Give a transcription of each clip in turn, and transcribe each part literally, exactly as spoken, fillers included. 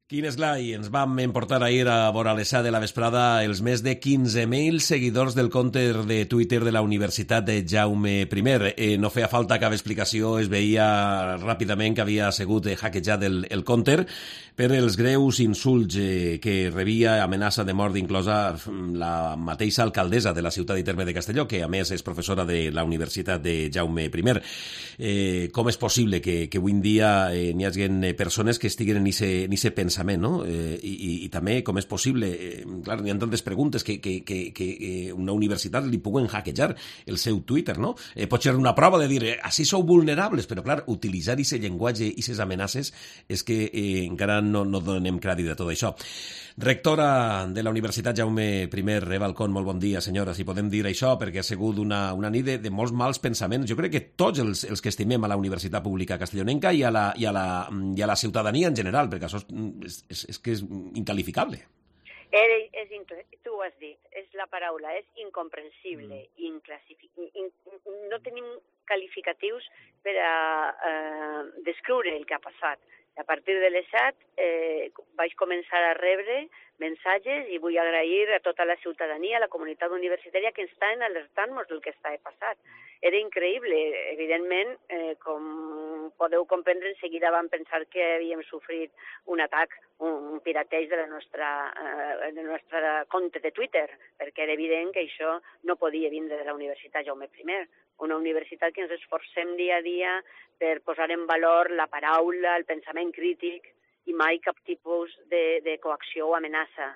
Quin és clar, i ens vam emportar ahir a vora les set de la vesprada els més de quinze mil seguidors del compte de Twitter de la Universitat de Jaume I. Eh, no feia falta cap explicació, es veia ràpidament que havia sigut hackejat el, el compte per els greus insults eh, que rebia, amenaça de mort inclosa la mateixa alcaldessa de la ciutat i terme de Castelló, que a més és professora de la Universitat de Jaume I. Eh, com és possible que, que avui en dia eh, n'hi hagi persones que estiguen en aquest pensament, no? Eh, i, i, i també com és possible, eh, clar, n'hi ha tantes preguntes que, que, que, que una universitat li puguen hackejar el seu Twitter, no? Eh, pot ser una prova de dir, eh, així sou vulnerables, però clar, utilitzar aquest llenguatge i aquestes amenaces és que eh, encara no, no donem crèdit a tot això. Rectora de la Universitat Jaume I, Eva Alcón, molt bon dia, senyora, si podem dir això, perquè ha sigut una, una nit de, de molts mals pensaments. Jo crec que tots els, els que estimem a la Universitat Pública Castellonenca i a la, i a la, i a la ciutadania en general, perquè això és, és, és que és incalificable. És, és, tu ho has dit, és la paraula, és incomprensible, mm. in, no tenim qualificatius per a eh, descriure el que ha passat. A partir de les set eh, vaig començar a rebre missatges i vull agrair a tota la ciutadania, a la comunitat universitària que estan alertant-nos del que està passat. Era increïble. Evidentment, eh, com podeu comprendre, en seguida vam pensar que havíem sofrit un atac, un, un pirateig de la nostra, eh, de la nostra compte de Twitter, perquè era evident que això no podia vindre de la Universitat Jaume I, una universitat que ens esforcem dia a dia per posar en valor la paraula, el pensament crític i mai cap tipus de, de coacció o amenaça.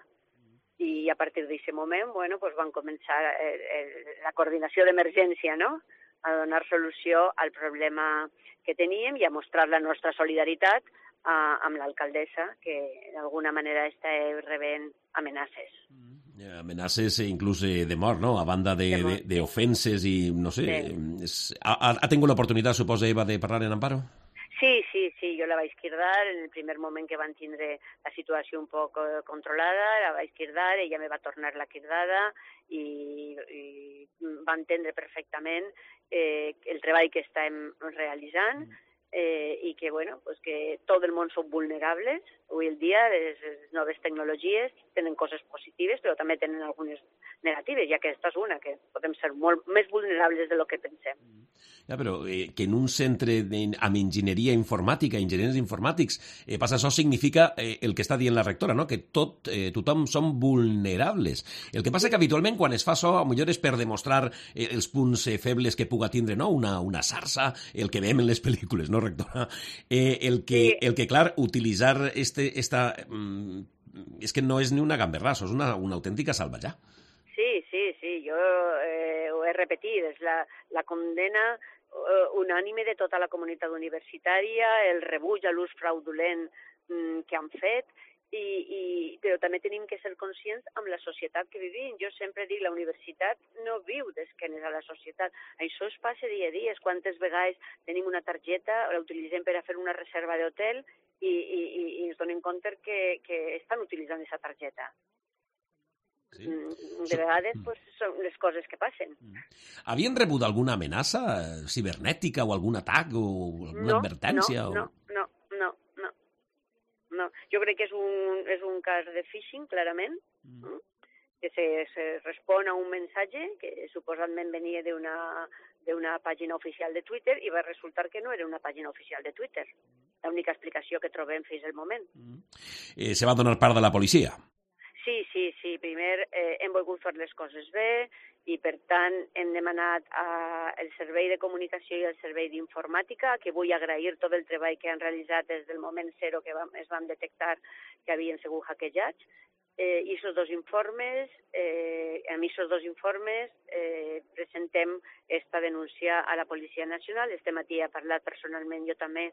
I a partir d'aquest moment, bueno, pues van començar el, el, la coordinació d'emergència, no?, a donar solució al problema que teníem i a mostrar la nostra solidaritat a, amb l'alcaldessa, que d'alguna manera està rebent amenaces. Mm. Amenaces inclús de mort, no? A banda d'ofenses i, no sé... Sí. És, ha, ha tingut l'oportunitat, suposa, Eva, de parlar en Amparo? Sí, sí, sí, jo la vaig cridar en el primer moment que van tindre la situació un poc controlada, la vaig cridar, ella me va tornar la cridada i, i va entendre perfectament eh, el treball que estem realitzant eh, i que, bueno, pues que tot el món són vulnerables. Avui el dia les, les noves tecnologies tenen coses positives, però també tenen algunes negatives, i aquesta és una, que podem ser molt més vulnerables de lo que pensem. Ja, però eh, que en un centre de, amb enginyeria informàtica, enginyers informàtics, eh, passa això significa eh, el que està dient la rectora, no? Que tot, eh, tothom som vulnerables. El que passa que habitualment quan es fa això, potser és per demostrar eh, els punts eh, febles que puga tindre, no? Una, una sarsa, el que veiem en les pel·lícules, no, rectora? Eh, el, que, el que, clar, utilitzar este, esta... Mm, és que no és ni una gamberrà, és una, una autèntica salvatjà. Sí, sí, sí, jo eh, ho he repetit, és la, la condena eh, unànime de tota la comunitat universitària, el rebuig a l'ús fraudulent mm, que han fet, i, i, però també tenim que ser conscients amb la societat que vivim. Jo sempre dic, la universitat no viu d'esquenes a la societat. Això es passa dia a dia. Quantes vegades tenim una targeta, la utilitzem per a fer una reserva d'hotel i, i, i ens donem compte que, que estan utilitzant aquesta targeta. Sí. De vegades pues, són les coses que passen. Havien rebut alguna amenaça cibernètica o algun atac o alguna no, advertència? No, o... no, no, no, no. Jo crec que és un, és un cas de phishing, clarament, mm. que se, se respon a un missatge que suposadament venia d'una d'una pàgina oficial de Twitter i va resultar que no era una pàgina oficial de Twitter. L'única explicació que trobem fins al moment. Mm. Eh, se va donar part de la policia? Sí, sí, sí. Primer eh, hem volgut fer les coses bé i, per tant, hem demanat al servei de comunicació i al servei d'informàtica, que vull agrair tot el treball que han realitzat des del moment zero que vam, es van detectar que havien sigut hackejats. Eh, I aquests dos informes, eh, amb aquests dos informes eh, presentem esta denúncia a la Policia Nacional. Este matí he parlat personalment jo també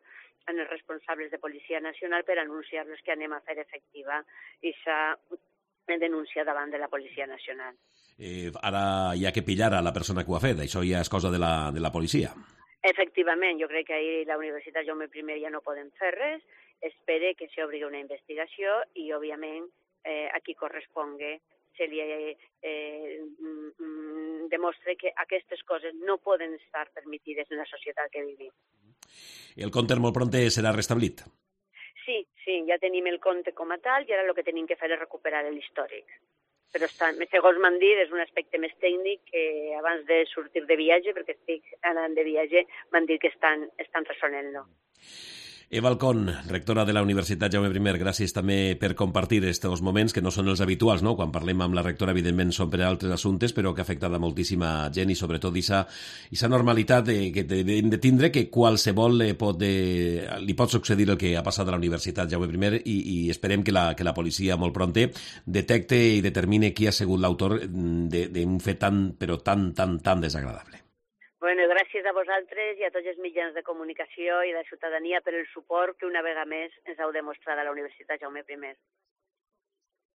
amb els responsables de Policia Nacional per anunciar-los que anem a fer efectiva aquesta denúncia davant de la Policia Nacional. Eh, ara hi ha que pillar a la persona que ho ha fet, això ja és cosa de la, de la policia. Efectivament, jo crec que ahir la Universitat Jaume I ja no podem fer res, espere que s'obri una investigació i, òbviament, eh, a qui correspongue se li eh, eh, mm, demostre que aquestes coses no poden estar permitides en la societat que vivim. El compte molt pront serà restablit? Sí, sí, sí, ja tenim el compte com a tal i ara el que tenim que fer és recuperar l'històric. Però estan, segons m'han dit, és un aspecte més tècnic que abans de sortir de viatge, perquè estic anant de viatge, m'han dit que estan, estan resolent-lo. Eva Alcón, rectora de la Universitat Jaume I, gràcies també per compartir aquests moments que no són els habituals, no? Quan parlem amb la rectora, evidentment, són per altres assumptes, però que afecten a moltíssima gent i sobretot aquesta normalitat de, que hem de tindre que qualsevol eh, pot, eh, li pot succeir el que ha passat a la Universitat Jaume I i, i esperem que la, que la policia molt prompte detecte i determine qui ha sigut l'autor d'un fet tan, però tan, tan, tan desagradable. Bueno, gràcies a vosaltres i a tots els mitjans de comunicació i de ciutadania per el suport que una vegada més ens heu demostrat a la Universitat Jaume I.